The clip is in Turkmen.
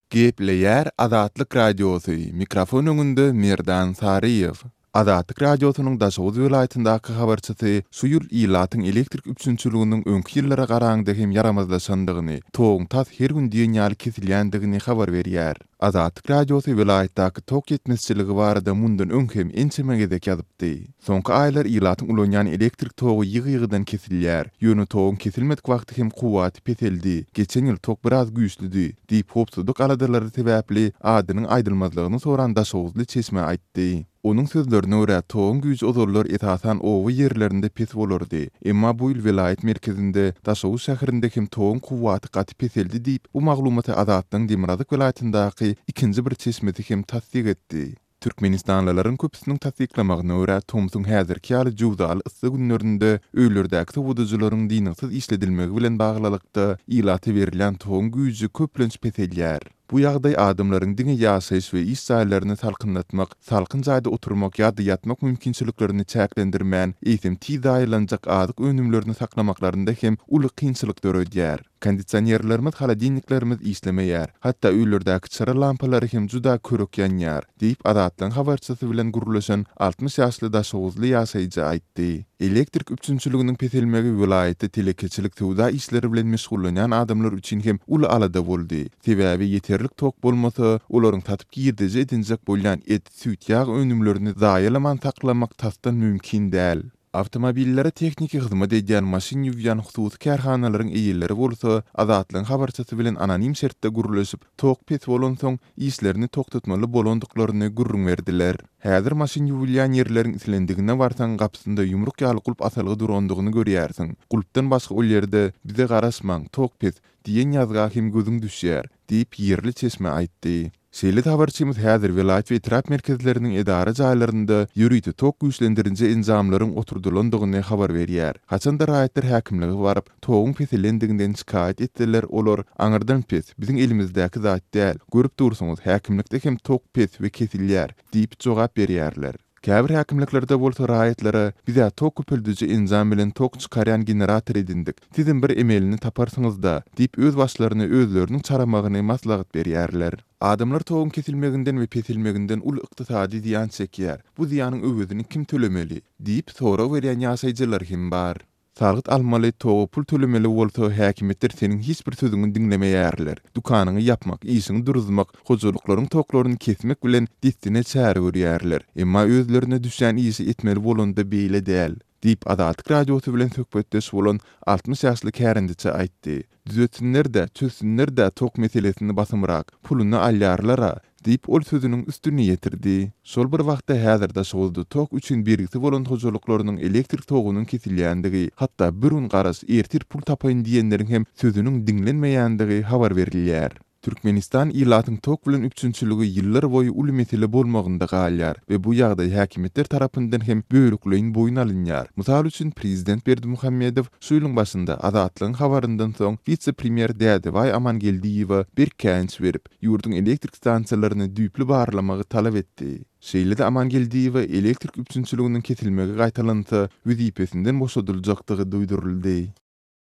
Gepleýär Azatlyk Radiosy, mikrofon öňünde Merdan Saryýew. Azatlyk Radiosynyň Daşoguz welaýatyndaky habarçysy şu ýyl ilatyň elektrik üpjünçiliginiň öňki ýyllara garaňda hem ýaramazlaşandygyny, toguň tas her gün diýen ýaly kesilýändigini habar berýär. Azatlyk Radiosy welaýatdaky tok ýetmezçiligi barada mundan öň hem ençeme gezek ýazypdy. Soňky aýlar ilatyň ulanýan elektrik togy ýygy-ýygydan kesilýär. Ýöne toguň kesilmedik wagty hem kuwwaty peseldi. Geçen ýyl tok biraz güýçlüdi, diýip, howpsuzlyk aladalary sebäpli adynyň aýdylmazlygyny soran daşoguzly çeşme aýtdy. Onuň sözlerine görä, toguň güýji ozallar esasan oba ýerlerinde pes bolardy. Emma bu ýyl welaýat merkezinde, Daşoguz şäherinde hem toguň kuwwaty gaty peseldi diýip, bu maglumaty Azatlygyň demirgazyk welaýatyndaky ikinji bir çeşmesi hem tassyk etdi. Türkmenistanlylaryň köpüsiniň tassyklamagyna görä, tomsuň häzirki ýaly jöwzaly yssy günlerinde öýlerdäki sowadyjylaryň dyngysyz işledilmegi bilen baglylykda, ilata berilýän toguň güýji köplenç peselýär. Bu ýagdaý adamlaryň diňe ýaşaýyş we iş jaýlaryny salkynlatmak, salkyn jaýda oturmak ýa-da ýatmak mümkinçiliklerini çäklendirmän, eýsem tiz zaýalanjak azyk önümlerini saklamaklarynda hem uly kynçylyk döredýär. Kondisionerlerimiz, holodilniklerimiz işlemeýär. Hatda öýlerdäki çyra lampalary hem juda körük ýanýar, diýip, Azatlygyň habarçysy bilen gürleşen 60 ýaşly daşoguzly ýaşaýjy aýtdy. Elektrik üpjünçiliginiň peselmegi welaýatda telekeçilik söwda işleri bilen meşgullanýan adamlar üçin hem uly alada boldy. Sebäbi ýeterlik tok bolmasa, olaryň satyp girdeji edinjek bolýan et, süýt, ýag önümlerini zaýalaman saklamak tasdan mümkin däl. Awtomobillere tehniki hyzmat edýän, maşyn ýuwýan hususy kärhanalaryň eýeleri bolsa, Azatlygyň habarçysy bilen anonim şertde gürleşip, tok pes bolansoň, işlerini togtatmaly bolandyklaryny gürrüň berdiler. Häzir maşyn ýuwulýan ýerleriň islendigine barsaň, gapysynda ýumruk ýaly gulp asylgy durandygyny görýärsiň. Gulpdan başga ol ýerde, Bize garaşmaň, tok pes, diýen ýazga hem gözüň düşýär, diýip, ýerli çeşme aýtdy. Şeýle-de habarçymyz häzir welaýat we etrap merkezleriniň edara jaýlarynda ýörite tok güýçlendirinji enjamlaryň oturdylandygyny habar berýär. Haçan-da raýatlar häkimlige baryp, toguň peselendiginden şikaýat etseler, olar, Aňyrdan pes, biziň elimizdäki zat däl, görüp dursuňyz, häkimlikde hem tok pes we kesilýär, diýip jogap berýärler. Käbir häkimliklerde bolsa raýatlara, Biz-ä tok köpeldiji enjam bilen tok çykarýan generator edindik, sizem bir emelini taparsyňyz-da, diýip öz başlaryny özleriniň çaramagyny maslahat berýärler. Adamlar toguň kesilmeginden we peselmeginden uly ykdysady zyýan çekýär. Bu zyýanyň öwezini kim tölemeli? diýip sorag berýän ýaşaýjylar hem bar. Salgyt almaly, toga pul tölemeli bolsa, häkimiýetler seniň hiç bir sözüňi diňlemeýärler. Dükanyňy ýapmak, işiňi duruzmak, hojalyklaryň toklaryny kesmek bilen dessine çäre görýärler. Emma özlerine düşýän işi etmeli bolanda beýle däl, diýip, Azatlyk Radiosy bilen söhbetdeş bolan 60 ýaşly kärendeçi aýtdy. Düzetsinler-dä, çözsünler-dä tok meselesini basymrak, puluny alýarlar-a, diýip, ol sözüniň üstüni ýetirdi. Şol bir wagtda, häzir Daşoguzda tok üçin bergisi bolan hojalyklarynyň elektrik togunyň kesilýändigi, hatda bir gün garaş, ertir pul tapaýyn diýenleriň hem sözüniň diňlenmeýändigi habar berilýär. Türkmenistan ilatyň tok bilen üpjünçiligi ýyllar boýy uly mesele bolmagynda galýar we bu ýagdaý häkimiýetler tarapyndan hem bölekleýin boýun alynýar. Mysal üçin, prezident Berdimuhamedow şu ýylyň başynda Azatlygyň habaryndan soň wise-premýer Dädebaý Amangeldiýewe berk käýinç berip, ýurduň elektrik stansiýalaryny düýpli barlamagy talap etdi. Şeýle-de Amangeldiýewe elektrik üpjünçiliginiň kesilmegi gaýtalansa, wezipesinden boşadyljakdygy duýduryldy.